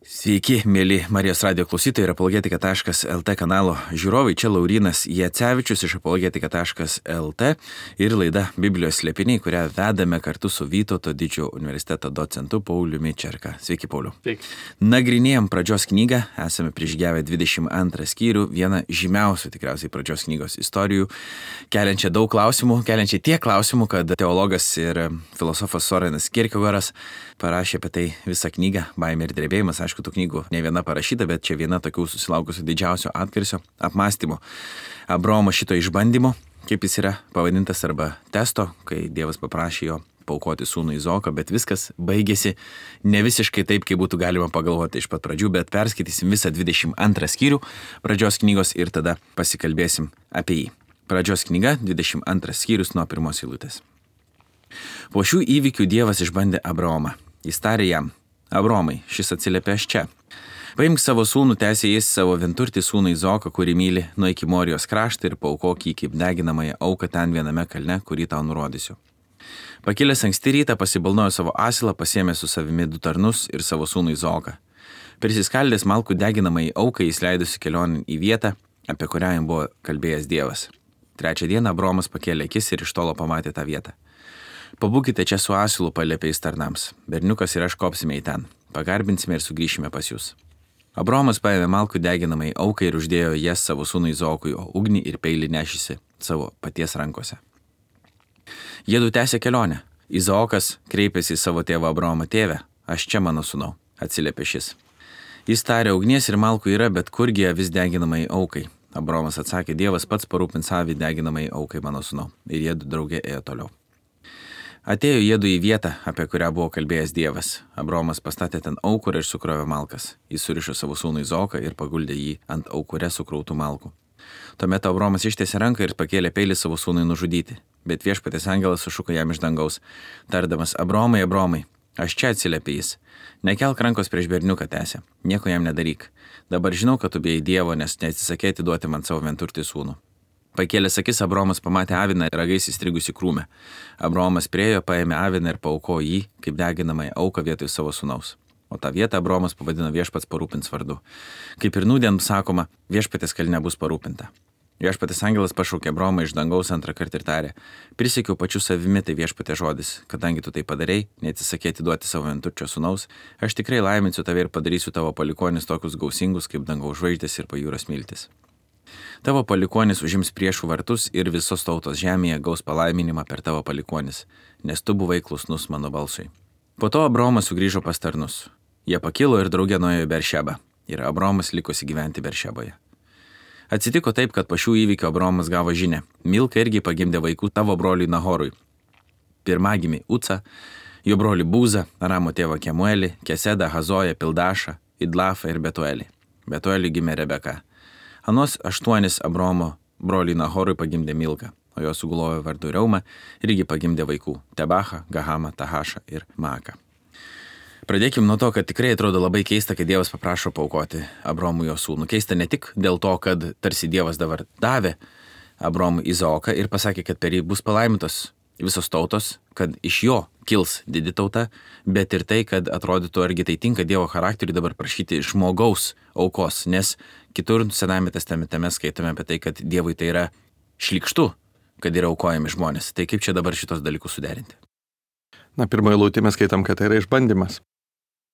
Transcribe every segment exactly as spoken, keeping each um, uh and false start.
Sveiki, mėly Marijos radio klausytojai ir apologetika taškas lt kanalo žiūrovai. Čia Laurynas Jacevičius iš apologetika taškas lt ir laida Biblijos slėpiniai, kurią vedame kartu su Vytauto Didžiojo universiteto docentu Pauliumi Čerka. Sveiki, Pauliu. Sveiki. Nagrinėjom pradžios knygą, esame prižygiavę dvidešimt antrą skyrių, vieną žymiausių tikriausiai pradžios knygos istorijų, keliančią daug klausimų, keliančią tiek klausimų, kad teologas ir filosofas Sorenas Kierkegaras parašė apie tai visą knygą Baimė ir drebėjimas. Aišku, tų knygų ne viena parašyta, bet čia viena tokių susilaukusių didžiausio atgarsio apmąstymų. Abraomo šito išbandymo, kaip jis yra pavadintas, arba testo, kai Dievas paprašė jo paaukoti sūnų Izaoką, bet viskas baigėsi ne visiškai taip, kaip būtų galima pagalvoti iš pat pradžių, bet perskaitysim visą dvidešimt antrą skyrių pradžios knygos ir tada pasikalbėsim apie jį. Pradžios knyga, dvidešimt antras skyrius nuo pirmos eilutės. Po šių įvykių Dievas išbandė Abraomą. Jis tarė jam: Abromai, šis atsiliepė aš čia. Paimk savo sūnų, tęsė jis, savo vienturtį sūnų Izaoką, kurį myli, nuo iki Morijos kraštą ir paaukok jį kaip deginamąją auką ten viename kalne, kurį tau nurodysiu. Pakilęs anksti rytą pasibalnojo savo asilą, pasiėmė su savimi du tarnus ir savo sūnų Izaoką. Prisiskaldęs malkų deginamąjį auką, jis leidosi kelionėn į vietą, apie kurią jam buvo kalbėjęs Dievas. Trečią dieną Abromas pakėlė akis ir iš tolo pamatė tą vietą. Pabūkite čia su asilu, paliepė jis tarnams. Berniukas ir aš kopsime į ten. Pagarbinsime ir sugrįšime pas jūs. Abromas paėmė malkų deginamai aukai ir uždėjo jas savo sūnui Izaokui, o ugnį ir peilį nešėsi savo paties rankose. Jiedu tęsė kelionę. Izaokas kreipėsi į savo tėvą Abromą: Tėve, aš čia, mano sūnau, atsiliepė šis. Jis tarė: ugnies ir malkų yra, bet kurgi vis deginamai aukai? Abromas atsakė: Dievas pats parūpins avį deginamai aukai, mano sūnau. Ir jie draugė ėjo toliau. Atėjo jiedu į vietą, apie kurią buvo kalbėjęs Dievas. Abromas pastatė ten aukurą ir sukrovė malkas. Jis surišo savo sūnų Izaoką ir paguldė jį ant aukure sukrautų malkų. Tuomet Abromas ištiesė ranką ir pakėlė peilį savo sūnui nužudyti. Bet viešpaties angelas sušuko jam iš dangaus, tardamas: Abromai, Abromai, aš čia, atsiliepė jis. Nekelk rankos prieš berniuką, tęsė. Nieko jam nedaryk. Dabar žinau, kad tu bijai Dievo, nes neatsisakei atiduoti man savo vienturtį sūnų. Pakėlęs akis, Abromas pamatė aviną ragais įstrigusi krūme. Abromas priejo, paėmė aviną ir paaukojo jį kaip deginamąją auką vietoj savo sūnaus. O tą vietą Abromas pavadino Viešpats parūpins vardu. Kaip ir nūdien sakoma, viešpatės kalne bus parūpinta. Viešpatės angelas pašaukė Abromą iš dangaus antrą kartą ir tarė: Prisiekiau pačiu savimi, tai viešpatės žodis, kadangi tu tai padarei, neatsisakei atiduoti savo vienturčio sūnaus, aš tikrai laiminsiu tave ir padarysiu tavo palikonis tokius gausingus kaip dangaus žvaigždės ir pajūros miltis. Tavo palikonis užims priešų vartus ir visos tautos žemėje gaus palaiminimą per tavo palikonis, nes tu buvai klusnus mano balsui. Po to Abromas sugrįžo pas tarnus. Jie pakilo ir draugė nuėjo į Beršebą, ir Abromas likosi gyventi Beršeboje. Atsitiko taip, kad po šių įvykių Abromas gavo žinią: Milka irgi pagimdė vaikų tavo broliui Nahorui. Pirmagimį Ucą, jo brolį Būzą, Aramo tėvą Kemuelį, Kesedą, Hazoją, Pildašą, Idlafą ir Betuelį. Betueliui gimė Rebeka. Anos aštuonis Abromo broliui Nahorui pagimdė Milka, o jo sugulojo vardu Reuma irgi pagimdė vaikų: Tebachą, Gahamą, Tahašą ir Maaką. Pradėkim nuo to, kad tikrai atrodo labai keista, kad Dievas paprašo paaukoti Abromui jo sūnų. Keista ne tik dėl to, kad tarsi Dievas dabar davė Abromui Izaoką ir pasakė, kad per jį bus palaimintos visos tautos, kad iš jo kils didi tauta, bet ir tai, kad atrodytų, argi tai tinka Dievo charakteriui dabar prašyti žmogaus aukos, nes kitur Senajame testamente mes skaitome apie tai, kad Dievui tai yra šlykštu, kad yra aukojami žmonės. Tai kaip čia dabar šitos dalykus suderinti? Na, pirmoje eilutėje mes skaitam, kad tai yra išbandymas.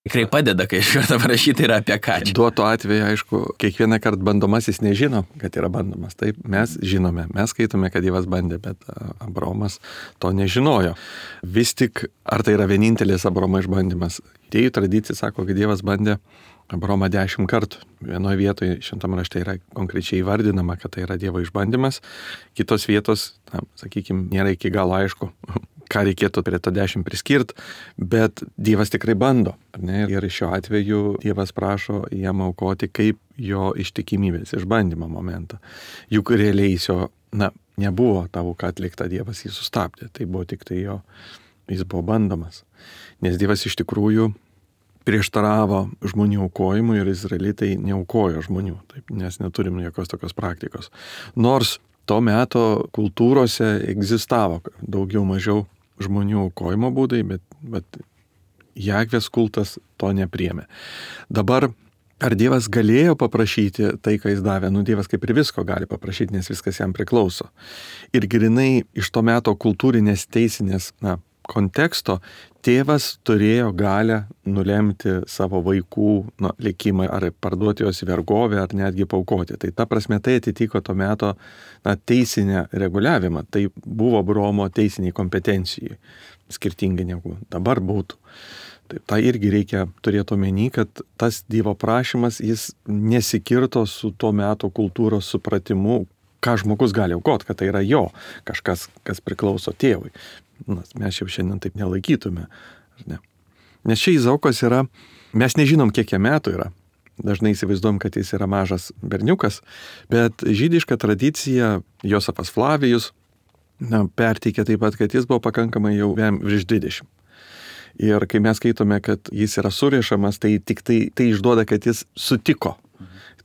Tikrai padeda, kai iš karto parašyta yra apie ką. Duoto atveju, aišku, kiekvieną kartą bandomasis nežino, kad yra bandomas. Taip, mes žinome, mes skaitome, kad Dievas bandė, bet Abromas to nežinojo. Vis tik, ar tai yra vienintelis Abromo išbandymas? Tėjų tradicija sako, kad Dievas bandė Abromą dešimt kartų. Vienoje vietoje šventame rašte yra konkrečiai įvardinama, kad tai yra Dievo išbandymas. Kitos vietos, na, sakykime, nėra iki galo aišku, ką reikėtų prie to dešimt priskirti, bet Dievas tikrai bando. Ne? Ir šiuo atveju Dievas prašo jam aukoti kaip jo ištikimybės išbandymo momentą. Juk realiai jo, na, nebuvo tavo, ką atlikta, Dievas jį sustabdė. Tai buvo tik tai jo, jis buvo bandomas. Nes Dievas iš tikrųjų prieštaravo žmonių aukojimui ir izraelitai neaukojo žmonių, taip, nes neturim jokios tokios praktikos. Nors to meto kultūrose egzistavo daugiau mažiau žmonių aukojimo būdai, bet, bet Jahvės kultas to nepriėmė. Dabar, ar Dievas galėjo paprašyti tai, ką jis davė? Nu, Dievas kaip ir visko gali paprašyti, nes viskas jam priklauso. Ir grinai iš to meto kultūrinės teisinės, na, konteksto, tėvas turėjo galę nulemti savo vaikų nu, likimą, ar parduoti juos į vergovę, ar netgi paaukoti. Tai ta prasme tai atitiko to meto na, teisinę reguliavimą. Tai buvo Abraomo teisiniai kompetencijai, skirtingai negu dabar būtų. Tai tą irgi reikia turėti omeny, kad tas Dievo prašymas, jis nesikirto su to meto kultūros supratimu, ką žmogus gali aukoti, kad tai yra jo, kažkas, kas priklauso tėvui. Nas, mes jau šiandien taip nelaikytume. Ar ne? Nes čia Izaokas yra, mes nežinom, kiek jam metų yra. Dažnai įsivaizduojam, kad jis yra mažas berniukas, bet žydiška tradicija, Josefas Flavijus, na, perteikia taip pat, kad jis buvo pakankamai jau virš dvidešimt. Ir kai mes skaitome, kad jis yra surišamas, tai tik tai, tai išduoda, kad jis sutiko.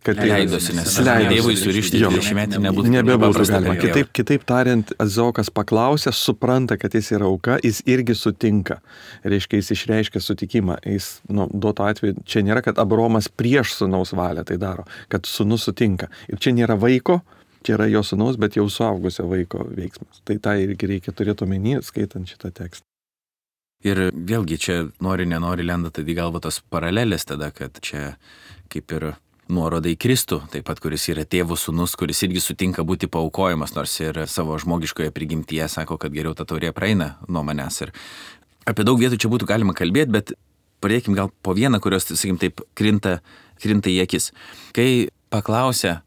Kad leidosi, nes Dievui surišti dvidešimtmetį nebūtų, nebebūtų galima. Kitaip, kitaip tariant, Izaokas paklausė, supranta, kad jis yra auka, jis irgi sutinka. Reiškia, jis išreiškia sutikimą. Jis, nu, duoto atveju, čia nėra, kad Abraomas prieš sūnaus valią tai daro, kad sūnus sutinka. Ir čia nėra vaiko, čia yra jo sūnaus, bet jau suaugusio vaiko veiksmas. Tai tą irgi reikia turėti omeny, skaitant šitą tekstą. Ir vėlgi čia nori, nenori lenda tada į galvą tos paralelės tada, kad čia kaip ir nuoroda į Kristų, taip pat kuris yra tėvo sūnus, kuris irgi sutinka būti paaukojamas, nors ir savo žmogiškoje prigimtyje sako, kad geriau ta taurė praeina nuo manęs. Ir apie daug vietų čia būtų galima kalbėti, bet pradėkim gal po vieną, kurios, sakykim, taip krinta, krinta į akis. Kai paklausė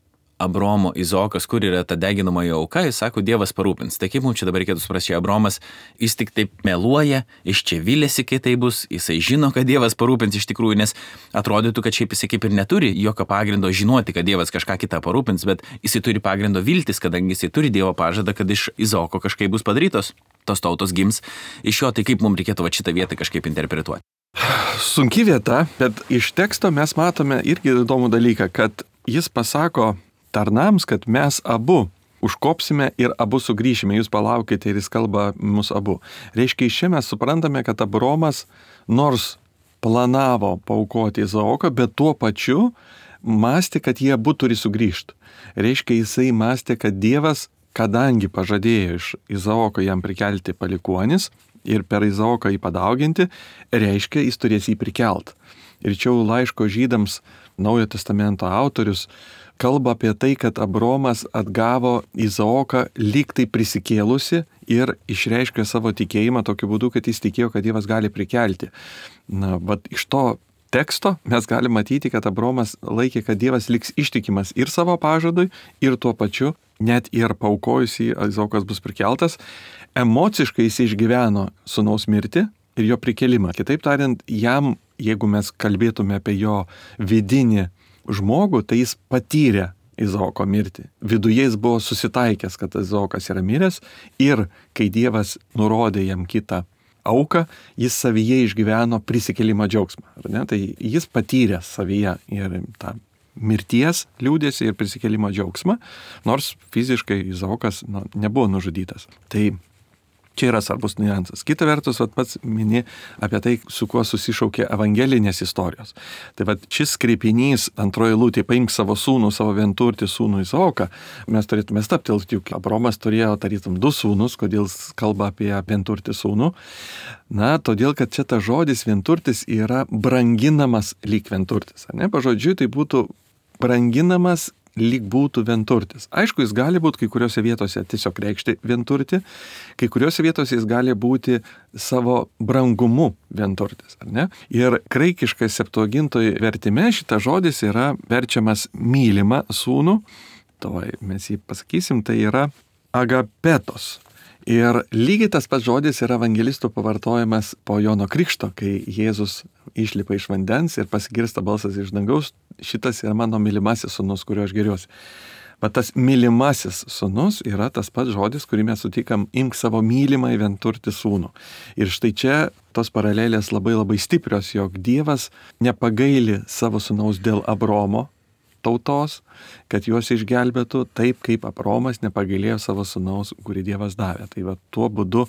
Abraomo Izaokas, kur yra ta deginamoji auka, jis sako, Dievas parūpins. Tai kaip mums čia dabar reikėtų suprasti, Abraomas, jis tik taip meluoja, iš čia vilėsi, kai tai bus, jisai žino, kad Dievas parūpins iš tikrųjų, nes atrodytų, kad šiaip jisai kaip ir neturi jokio pagrindo žinoti, kad Dievas kažką kitą parūpins, bet jisai turi pagrindo viltis, kadangi jisai turi Dievo pažadą, kad iš Izaoko kažkaip bus padarytos, tos tautos gims iš jo, tai kaip mums reikėtų va šitą vietą kažkaip interpretuoti. Sunki vieta, bet iš teksto mes matome irgi įdomų dalyką, kad jis pasako tarnams, kad mes abu užkopsime ir abu sugrįšime, jūs palaukite ir jis kalba mus abu. Reiškia, iš čia mes suprantame, kad Abraomas nors planavo paaukoti Izaoką, bet tuo pačiu mąstė, kad jie abu turi sugrįžti. Reiškia, jisai mąstė, kad Dievas, kadangi pažadėjo iš Izaoko jam prikelti palikuonis ir per Izaoką jį padauginti, reiškia, jis turės jį prikelt. Ir čia laiško žydams Naujojo testamento autorius kalba apie tai, kad Abraomas atgavo Izaoką lyg tai prisikėlusi ir išreiškė savo tikėjimą tokiu būdu, kad jis tikėjo, kad Dievas gali prikelti. Na, bet iš to teksto mes galime matyti, kad Abraomas laikė, kad Dievas liks ištikimas ir savo pažadui, ir tuo pačiu, net ir paaukojusi Izaokas bus prikeltas, emociškai jis išgyveno sūnaus mirtį ir jo prikelimą. Kitaip tariant, jam, jeigu mes kalbėtume apie jo vidinį žmogų, tai jis patyrė Izaoko mirtį. Viduje jis buvo susitaikęs, kad Izaokas yra miręs ir kai Dievas nurodė jam kitą auką, jis savyje išgyveno prisikėlimo džiaugsmą. Ar ne? Tai jis patyrė savyje ir tą mirties liūdėsį ir prisikėlimo džiaugsmą, nors fiziškai Izaokas nu, nebuvo nužudytas. Tai čia yra svarbus niuansas. Kita vertus, vat, pats mini apie tai, su kuo susišaukė evangelinės istorijos. Tai vat, šis kreipinys antroji eilutė, paimk savo sūnų, savo vienturtį sūnų Izaoką, mes turėtume staptelti, juk Abraomas turėjo, tarytum, du sūnus, kodėl kalba apie vienturtį sūnų. Na, todėl, kad čia tas žodis vienturtis yra branginamas lyg vienturtis. Ne? Pažodžiui, tai būtų branginamas lyg būtų vienturtis. Aišku, jis gali būti kai kuriuose vietose tiesiog reikšti vienturtį, kai kuriuose vietose jis gali būti savo brangumu vienturtis, ar ne? Ir graikiškai Septuagintoje vertime šitas žodis yra verčiamas mylimą sūnų, to mes jį pasakysim, tai yra agapetos. Ir lygiai tas pats žodis yra evangelistų pavartojamas po Jono Krikšto, kai Jėzus išlipa iš vandens ir pasigirsta balsas iš dangaus, šitas yra mano mylimasis sūnus, kurio aš geriuosi. Bet tas mylimasis sūnus yra tas pats žodis, kurį mes sutikam, imk savo mylimą į vienturtį sūnų. Ir štai čia tos paralelės labai labai stiprios, jog Dievas nepagaili savo sūnaus dėl Abraomo tautos, kad juos išgelbėtų taip, kaip Abraomas nepagailėjo savo sūnaus, kurį Dievas davė. Tai va tuo būdu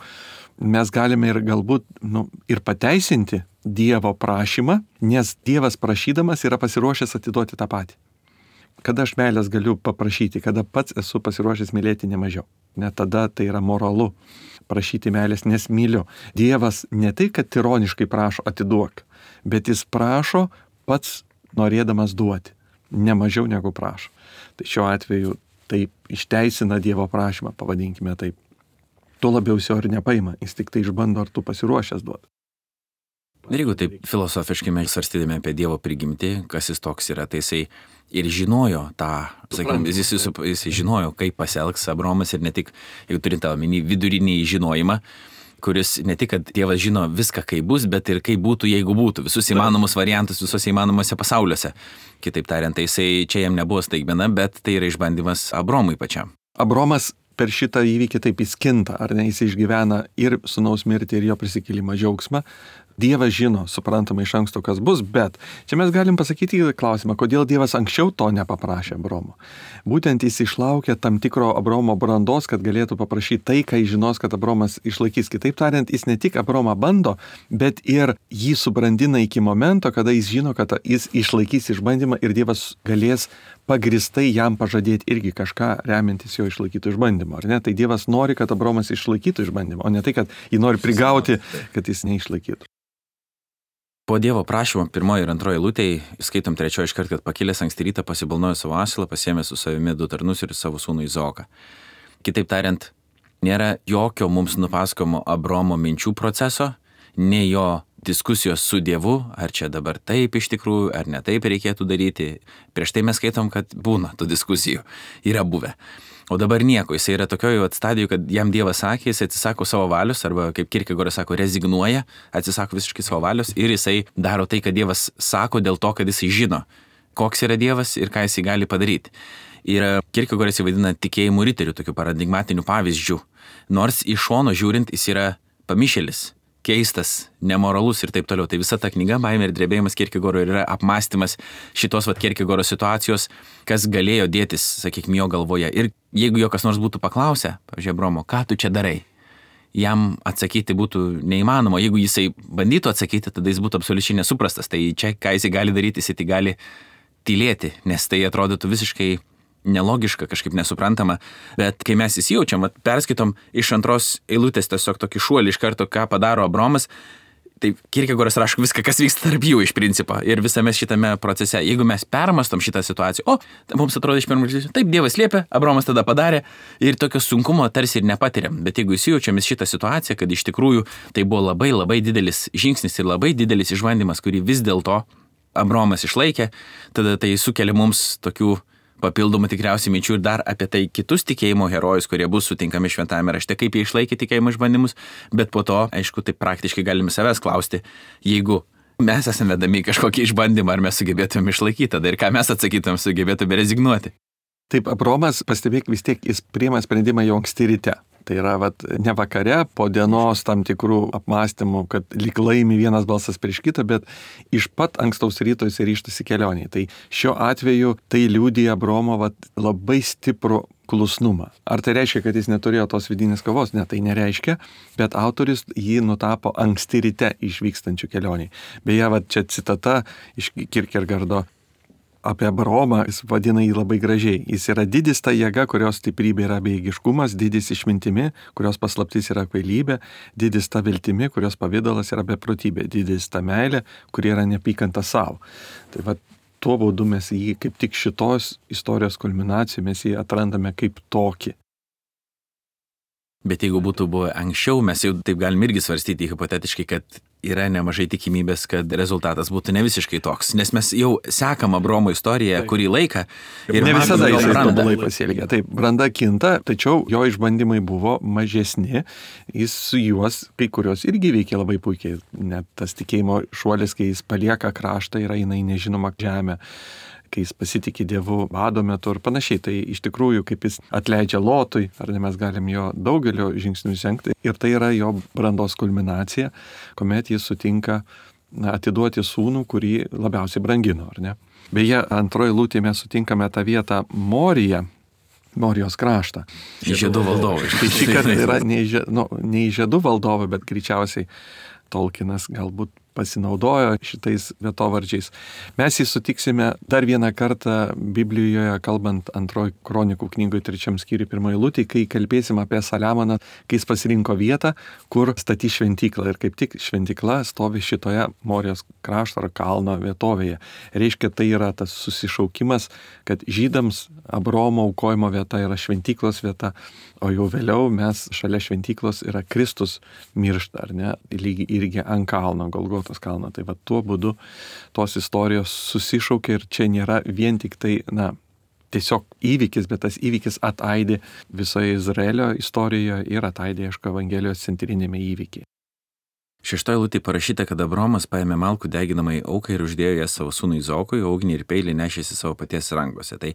mes galime ir galbūt nu, ir pateisinti Dievo prašymą, nes Dievas prašydamas yra pasiruošęs atiduoti tą patį. Kada aš meilės galiu paprašyti, kada pats esu pasiruošęs mylėti nemažiau. Net tada tai yra moralu prašyti meilės, nes myliu. Dievas ne tai, kad tironiškai prašo atiduok, bet jis prašo pats norėdamas duoti, ne mažiau negu prašo. Tai šiuo atveju tai išteisina Dievo prašymą, pavadinkime taip. Tuo labiau jis jo ir nepaima, jis tik tai išbando, ar tu pasiruošęs duoti. Ir jeigu taip filosofiškai mes svarstydami apie Dievo prigimtį, kas jis toks yra, tai jisai ir žinojo tą, sakykime, jis, jis, jis žinojo, kaip pasielgs Abraomas ir ne tik, jeigu turint omeny vidurinį žinojimą, kuris ne tik, kad Dievas žino viską, kaip bus, bet ir kaip būtų, jeigu būtų, visus įmanomus variantus, visos įmanomose pasauliuose. Kitaip tariant, tai jisai čia jam nebuvo staigmena, bet tai yra išbandymas Abraomui pačiam. Abraomas per šitą įvykį taip įskinta, ar ne, jis išgyvena ir sūnaus mirtį, ir jo prisikėlimą džiaugsmą. Dievas žino, suprantama iš anksto, kas bus, bet čia mes galim pasakyti klausimą, kodėl Dievas anksčiau to nepaprašė Abraomo. Būtent jis išlaukė tam tikro Abraomo brandos, kad galėtų paprašyti tai, ką jis žinos, kad Abraomas išlaikys. Kitaip tariant, jis ne tik Abraomą bando, bet ir jį subrandina iki momento, kada jis žino, kad jis išlaikys išbandymą ir Dievas galės pagristai jam pažadėti irgi kažką remiantis jo išlaikytų išbandymą. Ar ne? Tai Dievas nori, kad Abraomas išlaikytų išbandymą, o ne tai, kad jį nori prigauti, kad jis neišlaikytų. Po Dievo prašymo pirmoji ir antroji eilutėje, skaitom trečioji iškart, kad pakilęs anksti rytą pasibalnojo savo asilą, pasiėmė su savimi du tarnus ir savo sūnų Izaoką. Kitaip tariant, nėra jokio mums nupasakojimo Abraomo minčių proceso, nei jo diskusijos su Dievu, ar čia dabar taip iš tikrųjų, ar ne taip reikėtų daryti. Prieš tai mes skaitom, kad būna tų diskusijų, yra buvę. O dabar nieko, jis yra tokioje stadijoje, kad jam Dievas sakė, jis atsisako savo valios, arba kaip Kierkegoras sako, rezignuoja, atsisako visiškai savo valios ir jisai daro tai, kad Dievas sako dėl to, kad jisai žino, koks yra Dievas ir ką jisai gali padaryti. Ir Kierkegoras įvaidina tikėjimų riterių, tokių paradigmatinių pavyzdžių. Nors iš šono žiūrint, jis yra pamišėlis, keistas, nemoralus ir taip toliau. Tai visa ta knyga, Baimė ir drebėjimas Kierkegoro, yra apmąstymas šitos vat Kierkegoro situacijos, kas galėjo dėtis, sakykime, jo galvoje. Ir jeigu jo kas nors būtų paklausę, pavyzdžiui, Abraomo, ką tu čia darai, jam atsakyti būtų neįmanoma. Jeigu jisai bandytų atsakyti, tada jis būtų absoliučiai nesuprastas. Tai čia, ką jisai gali daryti, jisai tai gali tylėti, nes tai atrodytų visiškai nelogiška, kažkaip nesuprantama, bet kai mes įsijaučiam, perskaitom iš antros eilutės tiesiog tokį šuolį iš karto, ką padaro Abraomas, tai Kierkegoras rašo viską, kas vyksta tarp jų iš principo ir visame šitame procese. Jeigu mes permastom šitą situaciją, o, mums atrodo iš pirmo žvilgsnio, taip, Dievas liepė, Abraomas tada padarė ir tokio sunkumo tarsi ir nepatiriam, bet jeigu įsijaučiam į šitą situaciją, kad iš tikrųjų tai buvo labai labai didelis žingsnis ir labai didelis išbandymas, kurį vis dėlto Abraomas išlaikė, tada tai sukelia mums tokių papildomų tikriausiai minčių ir dar apie tai kitus tikėjimo herojus, kurie bus sutinkami šventajame rašte, kaip jie išlaikė tikėjimo išbandymus, bet po to, aišku, taip praktiškai galime savęs klausti, jeigu mes esame vedami kažkokį išbandymą, ar mes sugebėtume išlaikyti tada ir ką mes atsakytume, sugebėtume rezignuoti. Taip, Abraomas, pastebėk, vis tiek jis priima sprendimą jau anksti ryte. Tai yra, vat, ne vakare, po dienos tam tikrų apmąstymų, kad lyg laimi vienas balsas prieš kitą, bet iš pat ankstaus ryto jis ryžtasi kelioniai. Tai šiuo atveju tai liudija Abraomo vat, labai stiprų klusnumą. Ar tai reiškia, kad jis neturėjo tos vidinės kovos? Ne, tai nereiškia, bet autoris jį nutapo anksti ryte išvykstančių kelioniai. Beje, vat, čia citata iš Kierkegardo. Apie Abraomą jis vadina jį labai gražiai. Jis yra didis ta jėga, kurios stiprybė yra bejėgiškumas, didis išmintimi, kurios paslaptis yra kvailybė, didis ta viltimi, kurios pavidalas yra beprotybė, didis ta meilė, kuri yra neapykanta savo. Tai va, tuo būdu mes jį kaip tik šitos istorijos kulminacijų mes jį atrandame kaip tokį. Bet jeigu būtų buvę anksčiau, mes jau taip galim irgi svarstyti hipotetiškai, kad yra nemažai tikimybės, kad rezultatas būtų ne visiškai toks. Nes mes jau sekam Abraomo istoriją taip. Kurį laiką. Ir ne visada jis tobulai pasielgia. Taip, branda kinta, tačiau jo išbandymai buvo mažesni. Jis su juos, kai kurios irgi veikia labai puikiai. Net tas tikėjimo šuolis, kai jis palieka kraštą, yra jinai nežinoma žemė, kai jis pasitikė Dievu bado metu ir panašiai. Tai iš tikrųjų, kaip jis atleidžia Lotui, ar ne, mes galim jo daugelio žingsnių žengti. Ir tai yra jo brandos kulminacija, kuomet jis sutinka na, atiduoti sūnų, kurį labiausiai brangino, ar ne. Beje, antroji eilutėje mes sutinkame tą vietą Moriją, Morijos kraštą. Žiedų valdovai. Tai šį kartą yra ne, nu, ne žiedų valdovai, bet greičiausiai Tolkienas galbūt pasinaudojo šitais vietovardžiais. Mes jį sutiksime dar vieną kartą Biblijoje, kalbant antroji kronikų knygoje trečiam skyriui pirmoji eilutė, kai kalbėsim apie Saliamoną, kai jis pasirinko vietą, kur statys šventyklą. Ir kaip tik šventykla stovi šitoje Morijos krašto ar kalno vietovėje. Reiškia, tai yra tas susišaukimas, kad žydams Abraomo aukojimo vieta yra šventyklos vieta, o jau vėliau mes šalia šventyklos yra Kristus miršta, ar ne, lygiai irgi ant kalno, Golgotos kalno. Tai va tuo būdu tos istorijos susišaukia ir čia nėra vien tik tai, na, tiesiog įvykis, bet tas įvykis ataidė visoje Izraelio istorijoje ir ataidė, aišku, Evangelijos centrinėme įvykiai. Šeštoje eilutėje parašyta, kad Abraomas paėmė malkų deginamai auką ir uždėjo ją savo sūnui Izaokui, o ugnį ir peilį nešėsi savo paties rankose. Tai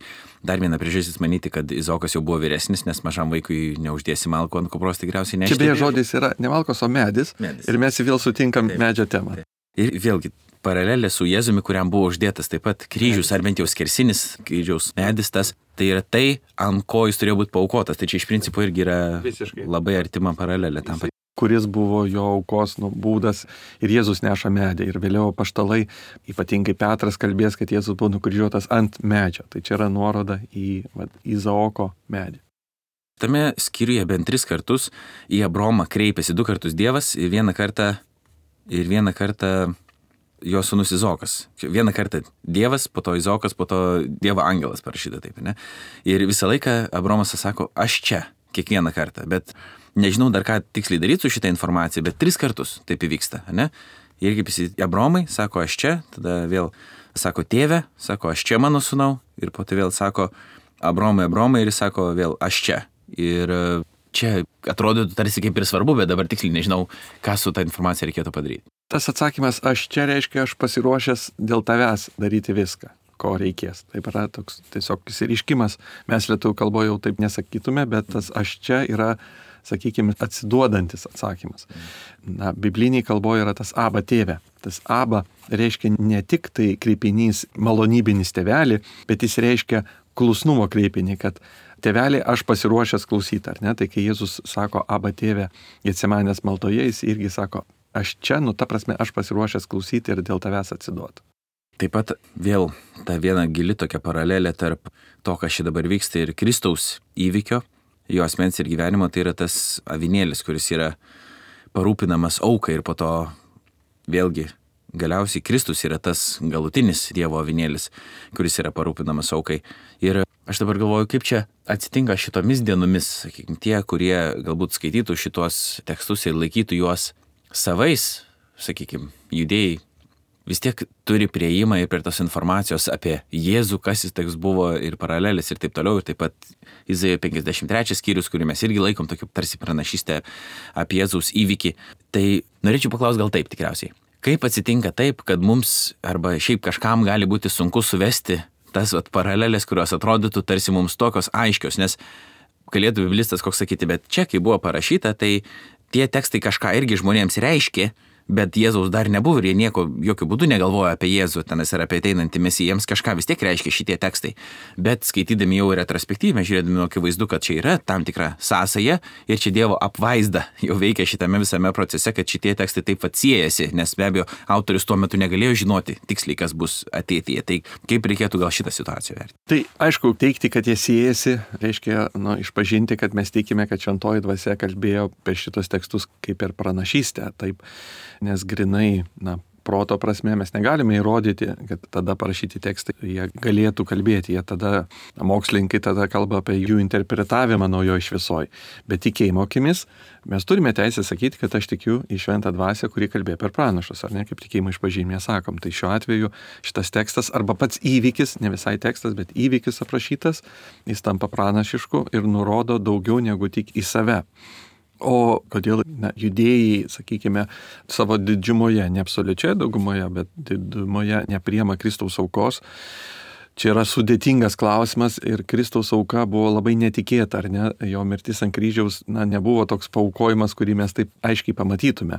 dar viena priežastis manyti, kad Izaokas jau buvo vyresnis, nes mažam vaikui neuždėsi malkų ant kupros tikriausiai nešti. Čia beje žodis yra ne malkos, o medis. medis. Ir mes vėl sutinkam taip, medžio temą. Taip. Ir vėlgi, paralelė su Jėzumi, kuriam buvo uždėtas taip pat kryžius, ar bent jau skersinis kryžiaus medis, tas, tai yra tai, ant ko jis turėjo būti paaukotas. Tai čia iš principo irgi yra visiškai labai artima paralelė tam. Kuris buvo jo aukos nu, būdas ir Jėzus neša medį. Ir vėliau apaštalai, ypatingai Petras kalbės, kad Jėzus buvo nukryžiuotas ant medžio. Tai čia yra nuoroda į va, Izaoko medį. Tame skyriuje bent tris kartus į Abraomą kreipėsi du kartus Dievas ir vieną kartą, ir vieną kartą jo sūnus Izaokas. Vieną kartą Dievas, po to Izaokas, po to Dievo angelas parašyta taip, ne? Ir visą laiką Abraomas sako, aš čia, kiekvieną kartą, bet nežinau dar ką tiksliai daryti su šitą informaciją, bet tris kartus taip įvyksta, ne? Ir kaip jis Abraomai, sako, aš čia, tada vėl sako, tėve, sako, aš čia mano sūnau, ir po to vėl sako, Abraomai, Abraomai, ir jis sako, vėl, aš čia. Ir čia atrodytų tarsi kaip ir svarbu, bet dabar tiksliai nežinau, ką su tą informacija reikėtų padaryti. Tas atsakymas, aš čia reiškia, aš pasiruošęs dėl tavęs daryti viską, ko reikės. Taip yra toks tiesiog įsiriškimas. Mes lietuvių kalboje jau taip nesakytume, bet tas aš čia yra, sakykime, atsiduodantis atsakymas. Na, bibliniai kalboje yra tas aba tėve. Tas aba reiškia ne tik tai kreipinys malonybinis tėvelį, bet jis reiškia klusnumo kreipinį, kad tėvelį aš pasiruošęs klausyti, ar ne? Tai kai Jėzus sako aba tėve Getsemanės maldoje, jis irgi sako, aš čia, nu ta prasme, aš pasiruošęs klausyti ir dėl tavęs atsiduoti. Taip pat vėl ta viena gili tokia paralelė tarp to, kas čia dabar vyksta ir Kristaus įvykio, jo asmens ir gyvenimo, tai yra tas avinėlis, kuris yra parūpinamas aukai ir po to vėlgi galiausiai Kristus yra tas galutinis Dievo avinėlis, kuris yra parūpinamas aukai. Ir aš dabar galvoju, kaip čia atsitinka šitomis dienomis, sakykime, tie, kurie galbūt skaitytų šitos tekstus ir laikytų juos savais, sakykime, judėjai, vis tiek turi prieimą ir per tos informacijos apie Jėzų, kas jis toks buvo ir paralelės ir taip toliau. Ir taip pat Izaijo penkiasdešimt trečias skyrius, kurį mes irgi laikom tokiu tarsi pranašystę apie Jėzaus įvykį. Tai norėčiau paklausti gal taip tikriausiai. Kaip atsitinka taip, kad mums arba šiaip kažkam gali būti sunku suvesti tas vat, paralelės, kurios atrodytų tarsi mums tokios aiškios, nes galėtų biblistas koks sakyti, bet čia, kai buvo parašyta, tai tie tekstai kažką irgi žmonėms reiškė, bet Jėzaus dar nebuvo ir jie nieko, jokių būdų negalvoja apie Jėzų, tenas ir apie ateinantį mesiją, jiems kažką vis tiek reiškia šitie tekstai. Bet skaitydami jau retrospektyvę, žiūrėdami akivaizdu, kad čia yra tam tikra sąsaja ir čia Dievo apvaizda jau veikia šitame visame procese, kad šitie tekstai taip pat siejasi, nes be abejo autorius tuo metu negalėjo žinoti tiksliai, kas bus ateityje. Tai kaip reikėtų gal šitą situaciją vertinti? Tai aišku, teigti, kad jie siejasi, reiškia nu, išpažinti, kad mes tikime, kad šventoji dvasia kalbėjo per šitos tekstus kaip per pranašystę. Taip. Nes grinai, na, proto prasme mes negalime įrodyti, kad tada parašyti tekstai, jie galėtų kalbėti, jie tada, mokslininkai tada kalba apie jų interpretavimą naujoje šviesoje. Bet tikėjimo akimis mes turime teisę sakyti, kad aš tikiu į šventą dvasią, kuri kalbėjo per pranašus, ar ne, kaip tikėjimo išpažinime sakom. Tai šiuo atveju šitas tekstas arba pats įvykis, ne visai tekstas, bet įvykis aprašytas, jis tampa pranašišku ir nurodo daugiau negu tik į save. O kodėl na, judėjai, sakykime, savo didžiumoje, ne absoliučioje daugumoje, bet didžumoje nepriima Kristaus aukos, čia yra sudėtingas klausimas ir Kristaus auka buvo labai netikėta, ar ne? Jo mirtis ant kryžiaus na, nebuvo toks paaukojimas, kurį mes taip aiškiai pamatytume.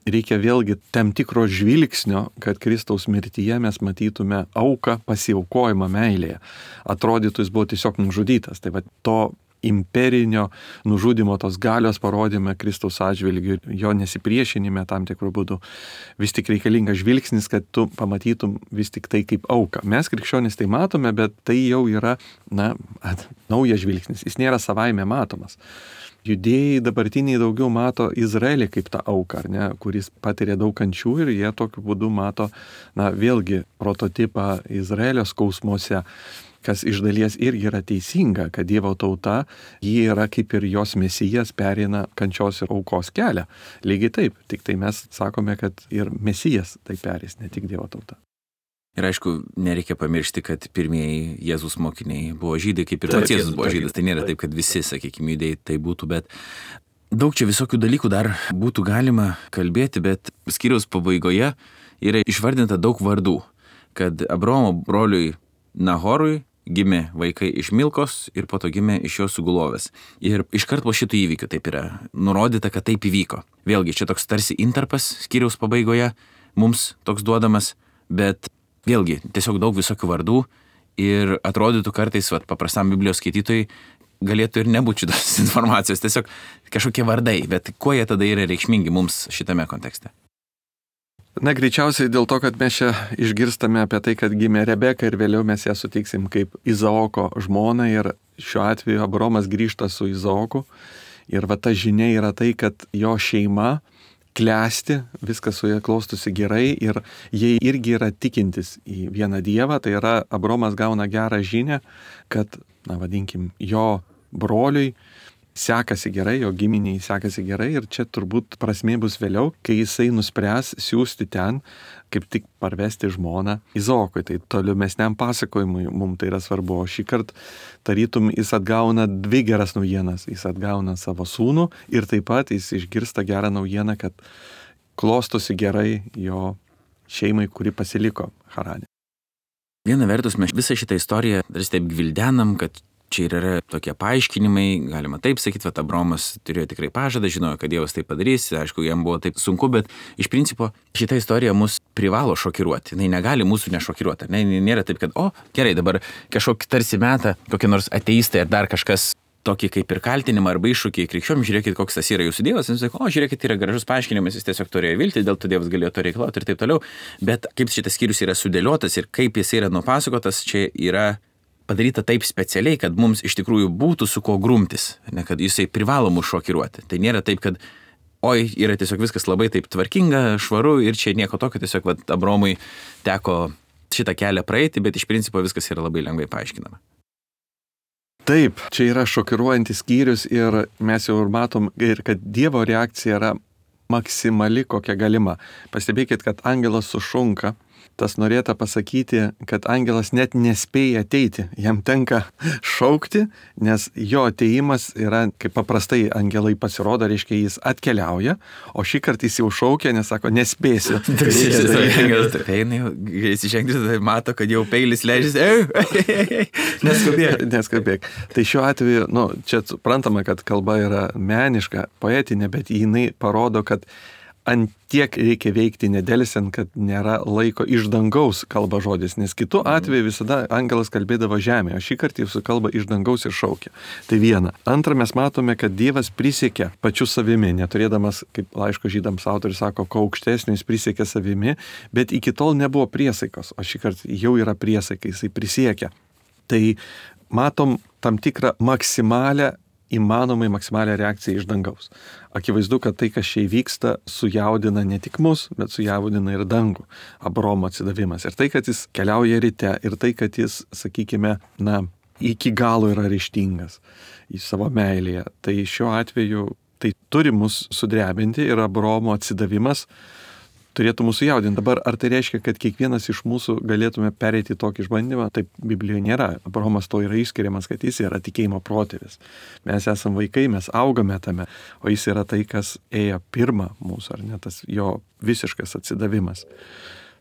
Reikia vėlgi tam tikro žvilgsnio, kad Kristaus mirtyje mes matytume auką, pasiaukojimą meilėje. Atrodytų, jis buvo tiesiog nužudytas. Tai va to imperinio nužudimo, tos galios parodėme Kristaus atžvilgiu, jo nesipriešinime tam tikrų būdų. Vis tik reikalingas žvilgsnis, kad tu pamatytum vis tik tai kaip auką. Mes krikščionys tai matome, bet tai jau yra, na, at, naujas žvilgsnis. Jis nėra savaime matomas. Judėjai dabartiniai daugiau mato Izraelį kaip tą auką, ar ne, kuris patiria daug kančių ir jie tokiu būdu mato, na, vėlgi prototipą Izraelio skausmuose, kas iš dalies irgi yra teisinga, kad Dievo tauta, ji yra kaip ir jos mesijas pereina kančios ir aukos kelią. Lygiai taip, tik tai mes sakome, kad ir mesijas tai perės, ne tik Dievo tauta. Ir aišku, nereikia pamiršti, kad pirmieji Jėzus mokiniai buvo žydai, kaip ir pats Jėzus buvo žydas. Tai nėra taip, kad visi, sakykime, judėjai tai būtų, bet daug čia visokių dalykų dar būtų galima kalbėti, bet skyriaus pabaigoje yra išvardinta daug vardų, kad Abraomo broliui Nahorui gimė vaikai iš Milkos ir po to gimė iš jo sugulovės. Ir iškart po šitų įvykių taip yra nurodyta, kad taip įvyko. Vėlgi, čia toks tarsi intarpas skyriaus pabaigoje mums toks duodamas, bet vėlgi, tiesiog daug visokių vardų ir atrodytų kartais, vat, paprastam Biblijos skaitytojai galėtų ir nebūti šitos informacijos, tiesiog kažkokie vardai, bet kuo jie tada yra reikšmingi mums šitame kontekste? Na, greičiausiai dėl to, kad mes čia išgirstame apie tai, kad gimė Rebeka ir vėliau mes ją sutiksim kaip Izaoko žmoną ir šiuo atveju Abraomas grįžta su Izaoku ir va ta žinia yra tai, kad jo šeima klesti, viskas su jie klostosi gerai ir jie irgi yra tikintis į vieną Dievą, tai yra Abraomas gauna gerą žinią, kad, na vadinkim, jo broliui sekasi gerai, jo giminiai sekasi gerai ir čia turbūt prasmė bus vėliau, kai jisai nuspręs siūsti ten, kaip tik parvesti žmoną Izaokui. Tai tolimesniam pasakojimui mums tai yra svarbu. O šį kartą tarytum jis atgauna dvi geras naujienas. Jis atgauna savo sūnų ir taip pat jis išgirsta gerą naujieną, kad klostosi gerai jo šeimai, kuri pasiliko Harane. Viena vertus mes visą šitą istoriją dar taip gvildenam, kad čia ir yra tokie paaiškinimai, galima taip sakyti, kad Abraomas turėjo tikrai pažadą, žinojo, kad Dievas tai padarys, aišku, jam buvo taip sunku, bet iš principo šita istorija mus privalo šokiruoti, jinai negali mūsų nešokiruoti, ne? Nėra taip, kad, o, gerai, dabar kažkokį tarsi metą, kokie nors ateistai ar dar kažkas tokį kaip ir kaltinimą arba iššūkį krikščionim, žiūrėkit, koks tas yra jūsų Dievas, ir jis sako, o, žiūrėkit, yra gražus paaiškinimas, jis tiesiog turėjo viltį, dėl to Dievas galėjo to reikalauti ir taip toliau, bet kaip šitas skyrius yra sudėliotas ir kaip jis yra nupasakotas, čia yra padaryta taip specialiai, kad mums iš tikrųjų būtų su ko grumtis, ne, kad jisai privalo mus šokiruoti. Tai nėra taip, kad oi, yra tiesiog viskas labai taip tvarkinga, švaru ir čia nieko tokio, tiesiog vat, Abraomui teko šitą kelią praeiti, bet iš principo viskas yra labai lengvai paaiškinama. Taip, čia yra šokiruojantis skyrius ir mes jau ir matom, ir kad Dievo reakcija yra maksimali, kokia galima. Pastebėkit, kad angelas sušunka. Tas norėta pasakyti, kad angelas net nespėja ateiti, jam tenka šaukti, nes jo ateimas yra, kaip paprastai angelai pasirodo, reiškia jis atkeliauja, o šį kartą jis jau šaukia, nes sako, nespėsiu. Angelas eina, jis išengti, tai mato, kad jau peilis leidžiasi, neskubėk. Neskubėk. Tai šiuo atveju, nu, čia suprantama, kad kalba yra meniška, poetinė, bet jinai parodo, kad ant tiek reikia veikti nedelsiant, kad nėra laiko iš dangaus kalba žodis, nes kitu atveju visada angelas kalbėdavo žemėje, o šį kartą jis kalba iš dangaus ir šaukia. Tai viena. Antra, mes matome, kad Dievas prisiekė pačiu savimi, neturėdamas, kaip laiško žydams autorius sako, ko aukštesnio jis prisiekė savimi, bet iki tol nebuvo priesaikos, o šį kartą jau yra priesaika, jisai prisiekia. Tai matom tam tikrą maksimalę įmanomai maksimalią reakciją iš dangaus. Akivaizdu, kad tai, kas čia įvyksta, sujaudina ne tik mus, bet sujaudina ir dangų. Abraomo atsidavimas. Ir tai, kad jis keliauja ryte, ir tai, kad jis, sakykime, na, iki galo yra ryžtingas į savo meilėje. Tai šiuo atveju tai turi mus sudrebinti ir Abraomo atsidavimas turėtų mūsų jaudinti. Dabar ar tai reiškia, kad kiekvienas iš mūsų galėtume pereiti tokį išbandymą? Taip Biblijoje nėra. Abraomas to yra išskiriamas, kad jis yra tikėjimo protėvis. Mes esame vaikai, mes augame tame, o jis yra tai, kas ėjo pirmą mūsų, ar ne, tas jo visiškas atsidavimas.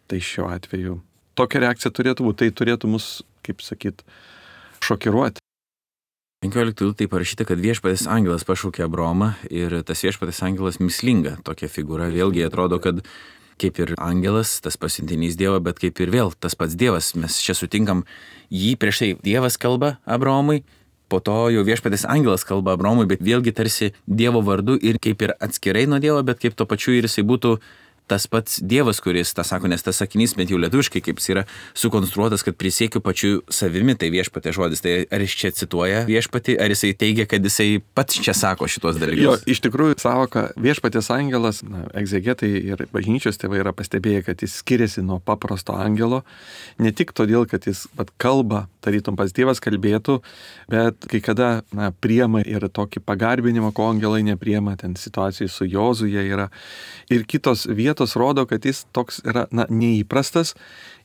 Tai šiuo atveju tokia reakcija turėtų būti, tai turėtų mus, kaip sakyt, šokiruoti. penkioliktoje tai parašyta, kad viešpatės angelas pašaukė Abraomą ir tas viešpatės angelas mislinga tokia figūra. Vėlgi atrodo, kad kaip ir angelas, tas pasiuntinys Dievo, bet kaip ir vėl tas pats Dievas. Mes čia sutinkam jį prieš tai Dievas kalba Abraomui, po to jau viešpatės angelas kalba Abraomui, bet vėlgi tarsi Dievo vardu ir kaip ir atskirai nuo Dievo, bet kaip to pačiu ir jisai būtų tas pats Dievas, kuris tą sako, nes tas sakinys, bent jau lietuviškai, kaip jis yra sukonstruotas, kad prisiekiu pačiu savimi, tai viešpatė žodis. Tai ar jis čia cituoja viešpatį, ar jisai teigia, kad jisai pats čia sako šitos dalykus? Jo, iš tikrųjų, savoka viešpatės angelas, na, egzegetai ir bažnyčios tėvai yra pastebėję, kad jis skiriasi nuo paprasto angelo, ne tik todėl, kad jis pat kalba, tarytum pas Dievas kalbėtų, bet kai kada, na, priema ir tokį pagarbinimą, ko angelai nepriema, ten situacijai su Jozuje yra. Ir kitos vietos rodo, kad jis toks yra, na, neįprastas.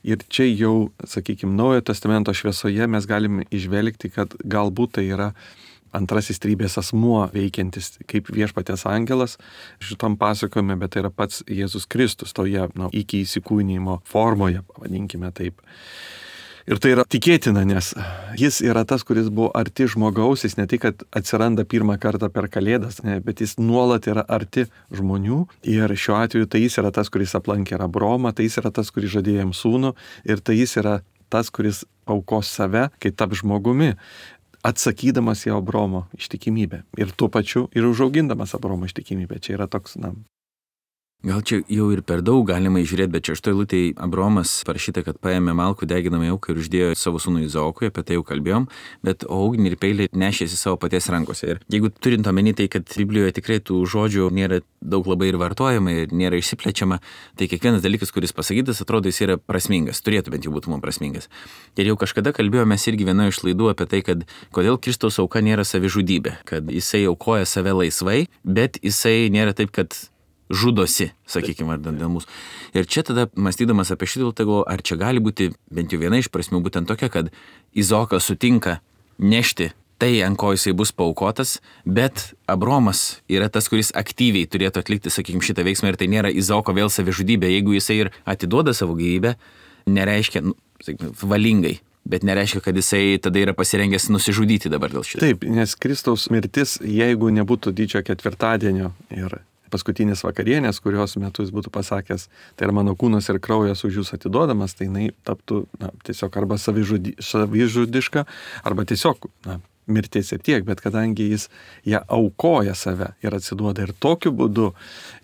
Ir čia jau, sakykime, Naujojo testamento šviesoje mes galim išvelgti, kad galbūt tai yra antrasis trybės asmuo veikiantis kaip viešpatės angelas šitam pasakojime, bet tai yra pats Jėzus Kristus toje, na, iki įsikūnijimo formoje, pavadinkime taip. Ir tai yra tikėtina, nes jis yra tas, kuris buvo arti žmogaus, jis ne tik, kad atsiranda pirmą kartą per Kalėdas, ne, bet jis nuolat yra arti žmonių. Ir šiuo atveju tai jis yra tas, kuris aplankė Abraomą, tai jis yra tas, kuris žadėjo jam sūnų, ir tai jis yra tas, kuris aukos save, kai tap žmogumi, atsakydamas į Abraomo ištikimybę. Ir tuo pačiu ir užaugindamas Abraomo ištikimybę. Čia yra toks, na, gal čia jau ir per daug galima įžiūrėti, bet čia šitoj eilutėj Abraomas parašyta, kad paėmė malkų deginamą auką ir uždėjo savo sūnų Izaokui, apie tai jau kalbėjom, bet ugnį ir peilį nešėsi savo paties rankose. Ir jeigu turint omeny tai, kad Biblijoje tikrai tų žodžių nėra daug labai ir vartojama ir nėra išsiplečiama, tai kiekvienas dalykas, kuris pasakytas, atrodo, jis yra prasmingas, turėtų bent jau būti mums prasmingas. Ir jau kažkada kalbėjome irgi vienoje iš laidų apie tai, kad kodėl Kristaus auka nėra savižudybė, kad jisai aukoja save laisvai, bet jisai nėra taip, kad žudosi, sakykime, ar dėl mūsų. Ir čia tada, mąstydamas apie šitą, galvoju, ar čia gali būti bent jau viena iš prasmių būtent tokia, kad Izaokas sutinka nešti tai, ant ko jisai bus paaukotas, bet Abraomas yra tas, kuris aktyviai turėtų atlikti, sakykime, šitą veiksmą, ir tai nėra Izaoko vėl savižudybė. Jeigu jisai ir atiduoda savo gyvybę, nereiškia, nu, sakykime, valingai, bet nereiškia, kad jisai tada yra pasirengęs nusižudyti dabar dėl šito. Taip, nes Kristaus mirtis, jeigu nebūtų didžiojo ketvirtadienio ir paskutinės vakarienės, kurios metu jis būtų pasakęs, tai yra mano kūnas ir kraujas už jūs atiduodamas, tai jinai taptų, na, tiesiog arba savižudi, savižudiška, arba tiesiog, na, mirtis ir tiek, bet kadangi jis ją aukoja save ir atsiduoda, ir tokiu būdu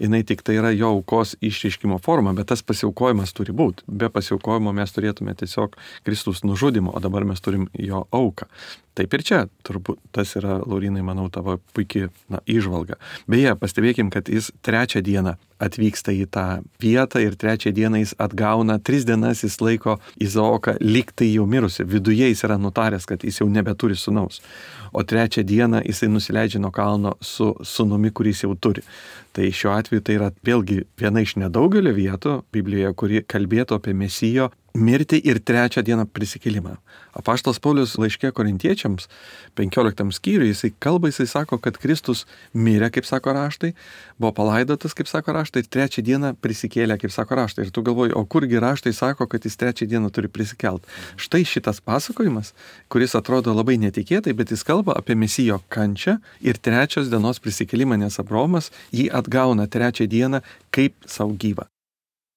jinai tik tai yra jo aukos išreiškimo forma, bet tas pasiaukojimas turi būti. Be pasiaukojimo mes turėtume tiesiog Kristus nužudimo, o dabar mes turim jo auką. Taip ir čia, turbūt tas yra, Laurinai, manau, tavo puikiai, na, įžvalga. Beje, pastebėkim, kad jis trečią dieną atvyksta į tą vietą ir trečią dieną jis atgauna, tris dienas jis laiko Izaoką lyg tai jau mirusi. Viduje jis yra nutaręs, kad jis jau nebeturi sūnaus. O trečią dieną jisai nusileidžia nuo kalno su sūnumi, kuris jau turi. Tai šiuo atveju tai yra vėlgi viena iš nedaugelio vietų Biblijoje, kuri kalbėtų apie Mesijo mirtį ir trečią dieną prisikėlimą. Apaštalas Paulius laiške Korintiečiams, penkioliktam skyriui, jisai kalba, jisai sako, kad Kristus mirė, kaip sako raštai, buvo palaidotas, kaip sako raštai, ir trečią dieną prisikėlė, kaip sako raštai. Ir tu galvoji, o kurgi raštai sako, kad jis trečią dieną turi prisikelt. Štai šitas pasakojimas, kuris atrodo labai netikėtai, bet jis kalba apie Mesijo kančią ir trečios dienos prisikėlimą, nes Abraomas jį atgauna trečią dieną kaip savo gyvą.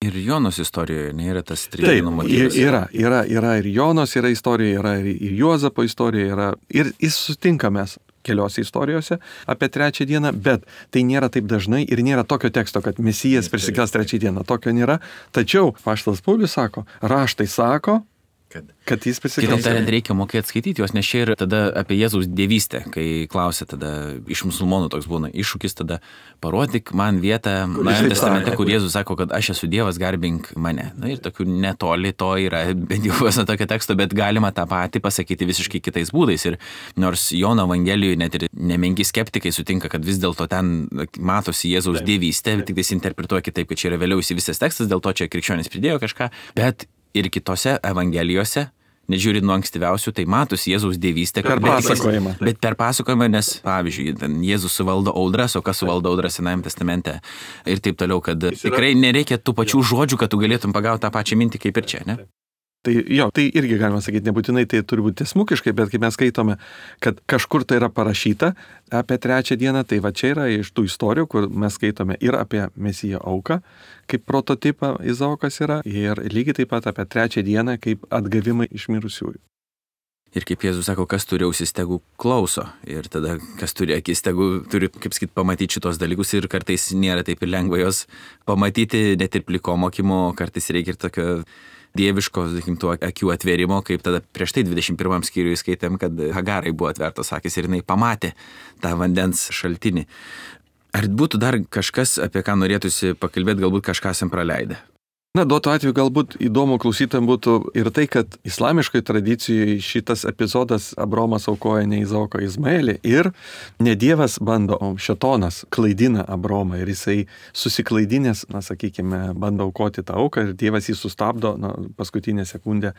Ir Jonos istorijoje nėra tas trijų motyvas. Taip, yra, yra, yra ir Jonos yra istorija, yra ir Juozapo istorija, yra, ir jis sutinka mes keliose istorijose apie trečią dieną, bet tai nėra taip dažnai ir nėra tokio teksto, kad Mesijas prisikels trečią dieną. Tokio nėra. Tačiau apaštalas Paulius sako, raštai sako, Kad, kad jis prisikels. Kitaip tariant, reikia mokėti skaityti juos, nes čia ir tada apie Jėzaus dievystę, kai klausia tada iš musulmonų toks būna iššūkis, tada parodyk man vietą Naujajame testamente, kur Jėzus sako, kad aš esu Dievas, garbink mane. Na ir tokių netoli to yra, bent jau vos tokio teksto, bet galima tą patį pasakyti visiškai kitais būdais. Ir nors Jono Evangelijoje net ir nemenki skeptikai sutinka, kad vis dėlto ten matosi Jėzaus dievystė, tik tai interpretuoja kitaip, kad čia yra vėliau įsivystęs tekstas, dėl to čia krikščionys pridėjo kažką, bet ir kitose evangelijose, nežiūrint nuo ankstyviausių, tai matosi Jėzaus dievystė. Per pasakojimą. Bet, bet per pasakojimą, nes, pavyzdžiui, Jėzus suvaldo audras, o kas suvaldo audras Senajame testamente ir taip toliau, kad tikrai nereikia tų pačių žodžių, kad tu galėtum pagauti tą pačią mintį kaip ir čia, ne? Tai jo, tai irgi galima sakyti, nebūtinai tai turi būti tiesmukiškai, bet kai mes skaitome, kad kažkur tai yra parašyta apie trečią dieną, tai va čia yra iš tų istorijų, kur mes skaitome ir apie Mesijo auką, kaip prototipą Izaokas yra, ir lygiai taip pat apie trečią dieną, kaip atgavimą iš mirusiųjų. Ir kaip Jėzus sako, kas turi ausis, tegu klauso. Ir tada, kas turi akis, tegu turi, kaip sakyt, pamatyti šitos dalykus. Ir kartais nėra taip ir lengva jos pamatyti, net ir pliko mokymo, kartais reikia ir tokio dieviško, sakykim, tų akių atvėrimo, kaip tada prieš tai dvidešimt pirmam skyriui skaitėm, kad Hagarai buvo atvertos akis ir jinai pamatė tą vandens šaltinį. Ar būtų dar kažkas, apie ką norėtųsi pakalbėti, galbūt kažką esam praleidę? Na, duotų atveju galbūt įdomu klausytojams būtų ir tai, kad islamiškai tradicijoje šitas epizodas Abraomas aukoja ne Izaoką, Izmaelį ir ne Dievas bando, o šėtonas klaidina Abraomą ir jisai susiklaidinęs, na, sakykime, bando aukoti tą auką ir Dievas jį sustabdo, na, paskutinę sekundę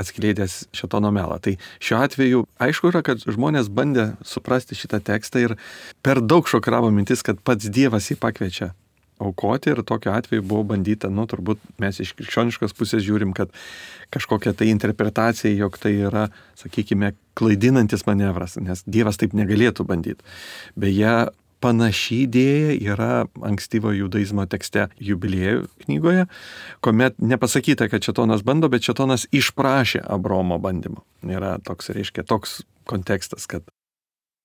atskleidęs šėtono melą. Tai šiuo atveju aišku yra, kad žmonės bandė suprasti šitą tekstą ir per daug šokiravo mintis, kad pats Dievas jį pakviečia aukoti ir tokiu atveju buvo bandyta, nu, turbūt mes iš krikščioniškos pusės žiūrim, kad kažkokia tai interpretacija, jog tai yra, sakykime, klaidinantis manevras, nes Dievas taip negalėtų bandyti. Beje, panaši idėja yra ankstyvo judaizmo tekste Jubiliejų knygoje, kuomet nepasakyta, kad šėtonas bando, bet šėtonas išprašė Abraomo bandymo. Yra toks, reiškia, toks kontekstas, kad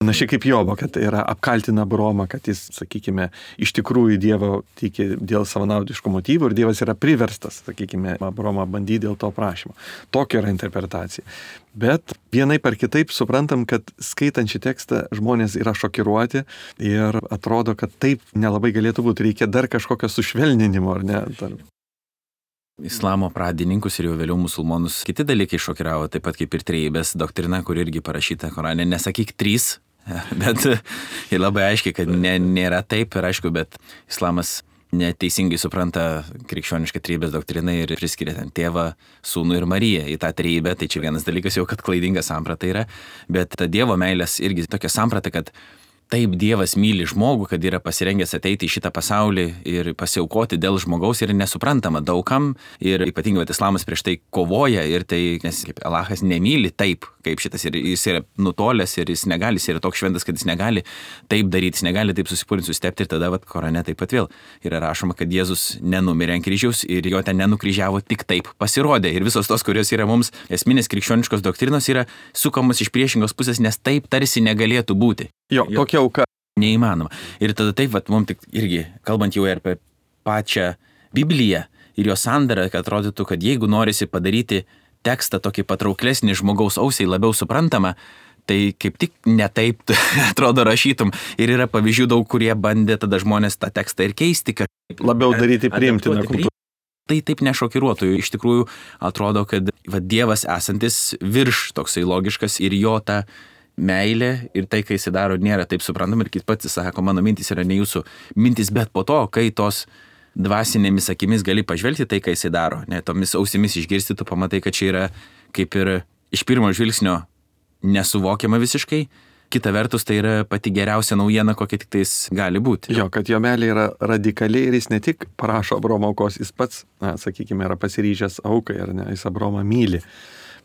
panašiai kaip Jobo, kad yra apkaltina Abraomą, kad jis, sakykime, iš tikrųjų Dievo tiki dėl savanaudiškų motyvų ir Dievas yra priverstas, sakykime, Abraomą bandyti dėl to prašymo. Tokia yra interpretacija. Bet vienaip ar kitaip suprantam, kad skaitant šį tekstą žmonės yra šokiruoti ir atrodo, kad taip nelabai galėtų būti. Reikia dar kažkokio sušvelninimo, ar ne? Islamo pradininkus ir jau vėliau musulmonus kiti dalykai šokiravo, taip pat kaip ir trejybės doktrina, kur irgi parašyta Korane, nesakyk trys, bet ir labai aiškiai, kad ne, nėra taip ir aišku, bet islamas neteisingai supranta krikščionišką trejybės doktriną ir priskiria ten tėvą, sūnų ir Mariją į tą trejybę, tai čia vienas dalykas jau, kad klaidinga samprata yra, bet ta Dievo meilės irgi tokia samprata, kad taip Dievas myli žmogų, kad yra pasirengęs ateiti į šitą pasaulį ir pasiaukoti dėl žmogaus ir nesuprantama daugam ir ypatingai vat, islamas prieš tai kovoja ir tai, nes kaip Alachas nemyli taip, kaip šitas ir jis yra nutolęs ir jis negali, jis yra toks šventas, kad jis negali taip daryti, jis negali taip susipūrinti, sustepti ir tada vat, Korane taip pat vėl yra rašoma, kad Jėzus nenumirė ant kryžiaus ir jo ten nenukryžiavo, tik taip pasirodė ir visos tos, kurios yra mums esminės krikščioniškos doktrinos yra sukamos iš priešingos pusės, nes taip tarsi negalėtų būti. Jo, tokia auka. Neįmanoma. Ir tada taip, vat, mums tik irgi, kalbant jau ir apie pačią Bibliją ir jos sandarą, kad atrodytų, kad jeigu norisi padaryti tekstą tokį patrauklesnį žmogaus ausiai, labiau suprantamą, tai kaip tik netaip atrodo rašytum. Ir yra pavyzdžių daug, kurie bandė tada žmonės tą tekstą ir keisti, kad labiau daryti priimtiną kultūrą. Tai taip nešokiruotų. Iš tikrųjų atrodo, kad va, Dievas esantis virš toksai logiškas ir jo ta meilė ir tai, kai jis daro, nėra taip suprantama ir kit pats sako, mano mintis yra ne jūsų mintis, bet po to, kai tos dvasinėmis akimis gali pažvelgti tai, kai jis daro, ne tomis ausimis išgirsti, tu pamatai, kad čia yra kaip ir iš pirmo žvilgsnio nesuvokiama visiškai, kita vertus tai yra pati geriausia naujiena, kokia tik tais gali būti. Jo, kad jo meilė yra radikaliai ir jis ne tik prašo Abraomo aukos, jis pats, na, sakykime, yra pasiryžęs aukai, ar ne, jis Abraomą myli.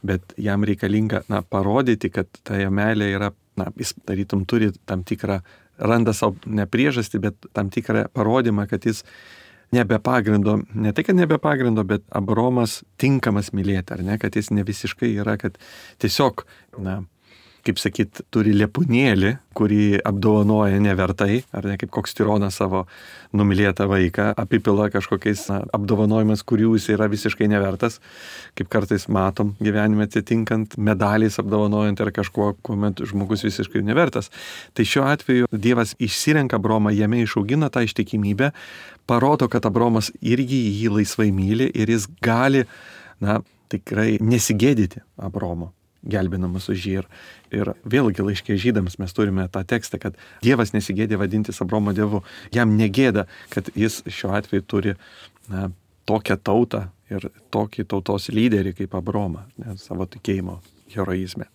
Bet jam reikalinga, na, parodyti, kad ta jo meilė yra, na, jis tarytum turi tam tikrą, randa savo ne priežastį, bet tam tikrą parodymą, kad jis nebe pagrindo, ne tai, kad nebe pagrindo, bet Abraomas tinkamas mylėti, ar ne, kad jis ne visiškai yra, kad tiesiog, na, kaip sakyt, turi lepūnėlį, kurį apdovanoja nevertai, ar ne kaip koks tironas savo numylėtą vaiką, apipila kažkokiais na, apdovanojimas, kurių jis yra visiškai nevertas, kaip kartais matom gyvenime atitinkant medaliais apdovanojant ar kažkuo, kuomet žmogus visiškai nevertas. Tai šiuo atveju Dievas išsirenka Abraomą, jame išaugina tą ištikimybę, parodo, kad Abraomas irgi jį laisvai myli ir jis gali, na, tikrai nesigėdyti Abraomo, gelbinamas už jį. Ir, ir vėlgi laiške žydams mes turime tą tekstą, kad Dievas nesigėdė vadintis Abraomo dievu. Jam negėda, kad jis šiuo atveju turi na, tokią tautą ir tokį tautos lyderį kaip Abraomą, ne, savo tikėjimo heroizme.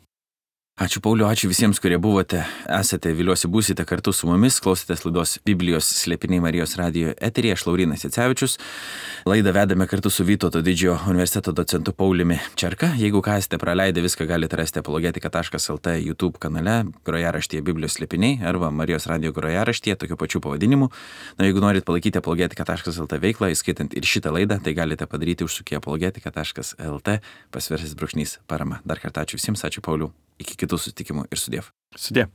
Ačiū Pauliu, ačiū visiems, kurie buvote, esate, viliuosi būsite kartu su mumis, klausėtės laidos Biblijos slėpiniai Marijos radijo eteryje, aš Laurynas Jacevičius. Laidą vedame kartu su Vytauto didžiojo universiteto docentu Pauliumi Čerka. Jeigu ką esate praleidę, viską galite rasti apologetika taškas lt YouTube kanale, grojaraštyje Biblijos slėpiniai arba Marijos radijo grojaraštyje, tokiu pačiu pavadinimu. Na, jeigu norit palaikyti apologetika taškas lt veiklą, įskaitant ir šitą laidą, tai galite padaryti užsukę apologetika taškas lt pasvirasis brūkšnys parama. Dar kartą ačiū visiems, ačiū Pauliu. Iki kitų susitikimų ir sudiev. Sudie.